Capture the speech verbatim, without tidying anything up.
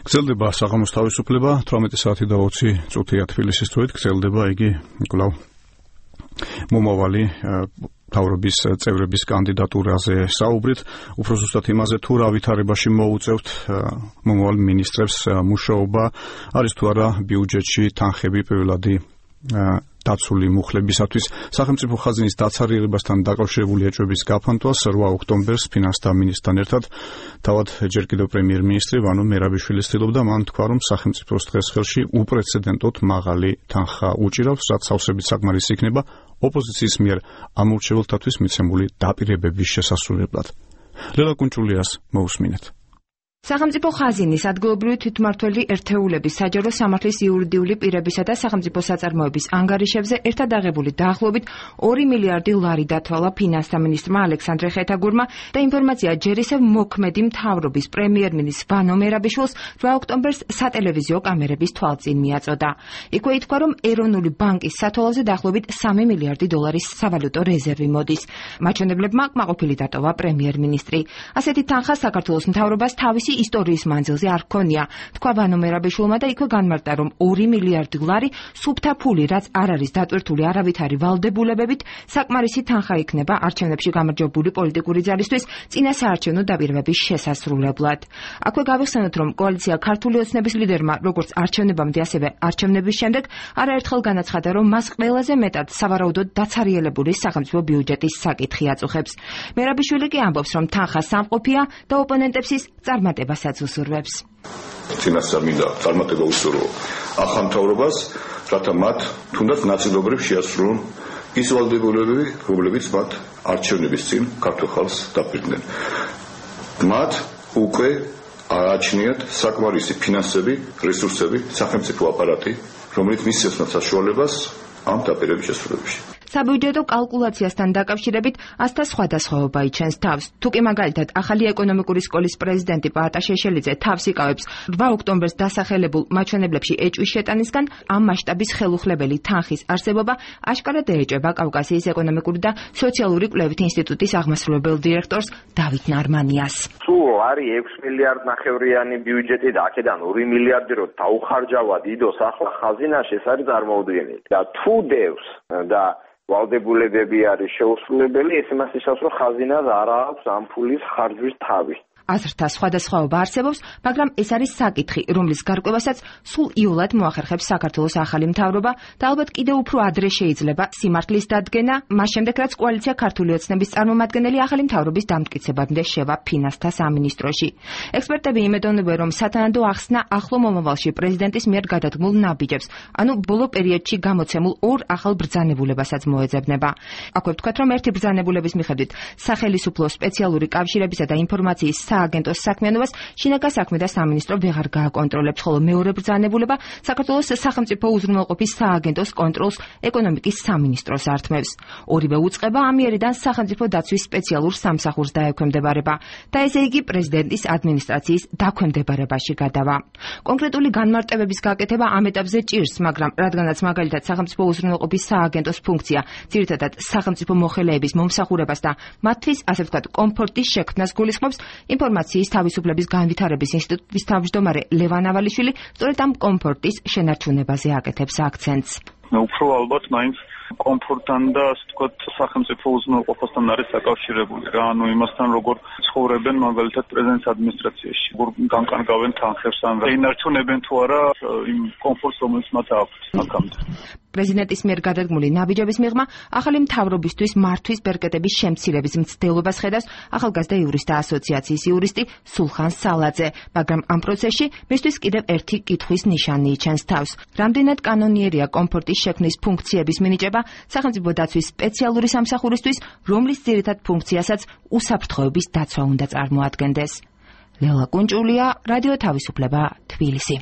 გრძელდება საღამოს თავისუფლება, თვრამეტი საათი და ოცი წუთია თბილისის დროით, გრძელდება იგი კვლავ მომავალი მთავრობის წევრების კანდიდატურაზე საუბრით, უფრო ზუსტად იმაზე თუ რა ვითარებაში მოუწევთ მომავალ მინისტრებს მუშაობა, არის თუ არა ბიუჯეტში თანხები პირველადი დაცული მუხლებისათვის. სახელმწიფო ხაზინის დაცარიელებასთან დაკავშირებული ეჭვების გაფანტვას რვა ოქტომბერს ფინანსთა მინისტრთან ერთად თავად ჯერ კიდევ პრემიერ-მინისტრი ვანო მერაბიშვილი ცდილობდა მან თქვა, რომ სახელმწიფოს დღეს ხელში უპრეცედენტოდ მაღალი თანხა უჭირავს, რაც სავსებით საკმარისი იქნება ოპოზიციის მიერ ამორჩეველთათვის მიცემული დაპირებების შესასრულებლად. ლელა კუნჭულიას მოусმინეთ. სახელმწიფო ხაზინის ადგილობრივი თვითმმართველი ერთეულების საჯარო სამართლის იურიდიული პირებისა და სახელმწიფო საწარმოების ანგარიშებზე ერთად აღებული დაახლოებით ორი მილიარდი ლარი დათვალა ფინანსთა მინისტრმა ალექსანდრე ხეთაგურმა და ინფორმაცია ჯერ ისევ მოქმედი მთავრობის პრემიერ-მინისტრ ვანო მერაბიშვილს რვა ოქტომბერს სატელევიზიო კამერების თვალწინ მიაწოდა. იქვე ითქვა, რომ ეროვნული ბანკის სათვალოზე დაახლოებით სამი მილიარდი დოლარის სავალუტო რეზერვი მოდის. მაჩვენებლებმა კმაყოფილი დატოვა პრემიერ-მინისტრი. ასეთი თანხა საქართველოს მთავრობას თავისი ისტორიის მანძილზე არ ჰქონია. თქვა ვანო მერაბიშვილმა და იქვე განმარტა, რომ ორი მილიარდი ლარი სუფთა ფული, რაც არ არის დატვირთული არავითარი ვალდებულებებით, საკმარისი თანხა იქნება არჩევნებში გამარჯვებული პოლიტიკური ძალისთვის წინა საარჩევნო დაპირებების შესასრულებლად. აქვე გავიხსენოთ, რომ კოალიცია ქართული ოცნების ლიდერმა როგორც არჩევნებამდე, ასევე არჩევნების შემდეგ არაერთხელ განაცხადა, რომ მას ყველაზე მეტად სავარაუდოდ დაცარიელებული სახელმწიფო ბიუჯეტის საკითხი აწუხებს. მერაბიშვილი კი ამბობს, რომ თანხა სამყოფია და ოპონენტებს ის წარმატება უსურვებს. წინასწარ მინდა წარმატება უსურვო ახალ მთავრობას, რათა მათ თუნდაც ნაწილობრივ შეასრულონ ის ვალდებულებები, რომლებიც მათ არჩევნების წინ ქართულ ხალხს დაფირდნენ. მათ უკვე ააჩნიათ საკმარისი ფინანსები, რესურსები, სახელმწიფო აპარატი, რომელიც მისცემს საშუალებას ამ დაპირების შესრულებაში. საბიუჯეტო კალკულაციასთან დაკავშირებით ასთა სხვადასხვაობა იჩენს თავს. თუკი მაგალითად ახალი ეკონომიკური სკოლის პრეზიდენტი პაატა შეშელიძე თავს იკავებს რვა ოქტომბერს დასახელებულ მაჩვენებლებში ეჭვის შეტანისგან, ამ მასშტაბის ხელუხლებელი თანხის არსებობა აშკარად ეეჭება კავკასიის ეკონომიკური და სოციალური კვლევით ინსტიტუტის აღმასრულებელ დირექტორს დავით ნარმანიას. თუ არის ექვსი მილიარდ ნახევრიანი ბიუჯეტი და აქედან ორი მილიარდი რო დაუხარჯავა დიდოს ახლა ხაზინაში, ეს არის წარმოუდგენელი. და თუ დევს და ვალდებულებები არის შეუსრულებელი, ეს იმას ნიშნავს, რომ ხაზინას არ აქვს ამ ფულის ხარჯვის თავი. აზრთა სხვადასხვაობა არსებობს, მაგრამ ეს არის საკითხი, რომლის გარკვევასაც სულ იოლად მოახერხებს საქართველოს ახალი მთავრობა და ალბათ კიდევ უფრო ადრე შეიძლება სიმართლის დადგენა, მას შემდეგ რაც კოალიცია ქართული ოცნების წარმომადგენელი ახალი მთავრობის დამტკიცებამდე შევა ფინანსთა სამინისტროში. ექსპერტები იმედოვნებენ, რომ სათანადო ახსნა ახლო მომავალში პრეზიდენტის მიერ გადადგმულ ნაბიჯებს, ანუ ბოლო პერიოდში გამოცემულ ორ ახალ ბრძანებულებასაც მოეძებნება. აქვე ვთქვათ, რომ ერთი ბრძანებულების მიხედვით სახელისუფლო სპეციალური კავშირებისა და ინფორმაციის სააგენტოს საქმიანობას შინაგან საქმე და სამინისტრო ვეღარ გააკონტროლებს, ხოლო მეორე ბრძანებულება საქართველოს სახელმწიფო უზრუნველყოფის სააგენტოს კონტროლს ეკონომიკის სამინისტროს ართმევს. ორივე უწყება ამიერიდან სახელმწიფო დაცვის სპეციალურ სამსახურს დაექვემდებარება და ესე იგი პრეზიდენტის ადმინისტრაციის დაქვემდებარებაში გადავა. კონკრეტული განმარტებების გაკეთება ამ ეტაპზე ჭირს, მაგრამ რადგანაც მაგალითად სახელმწიფო უზრუნველყოფის სააგენტოს ფუნქცია ძირითადად სახელმწიფო მოხელეების მომსახურებას და მათთვის ასე ვთქვათ კომფორტის შექმნას გულისხმობს, ინფორმაციის თავისუფლების განვითარების ინსტიტუტის თავმჯდომარე ლევან ავალიშვილი სწორედ ამ კომფორტის შენარჩუნებაზე აკეთებს აქცენტს. უფრო ალბათ მაინც კომფორტთან და ასე ვთქვათ სახელმწიფო უზრუნველყოფასთან არის საკავშირებული რა, ანუ იმასთან როგორ ცხოვრებენ მაგალითად პრეზიდენტის ადმინისტრაციაში, როგორ განკარგავენ თანხებს ან ინარჩუნებენ თუ არა იმ კომფორტს, რომელიც მათ აქვს აქამდე. პრეზიდენტის მიერ გადადგმული ნაბიჯების მიღმა ახალი მთავრობისთვის მართვის ბერკეტების შემცირების მცდელობას ხედავს ახალგაზრდა იურისტთა ასოციაციის იურისტი სულხან სალაძე, მაგრამ ამ პროცესში მისთვის კიდევ ერთი კითხვის ნიშანი იჩენს თავს. რამდენად კანონიერია კომფორტის შექმნის ფუნქციების მინიჭება სახელმწიფო დაცვის სპეციალური სამსახურისთვის, რომლის ძირითად ფუნქციასაც უსაფრთხოების დაცვა უნდა წარმოადგენდეს. ლელა კუნჭულია, რადიო თავისუფლება, თბილისი.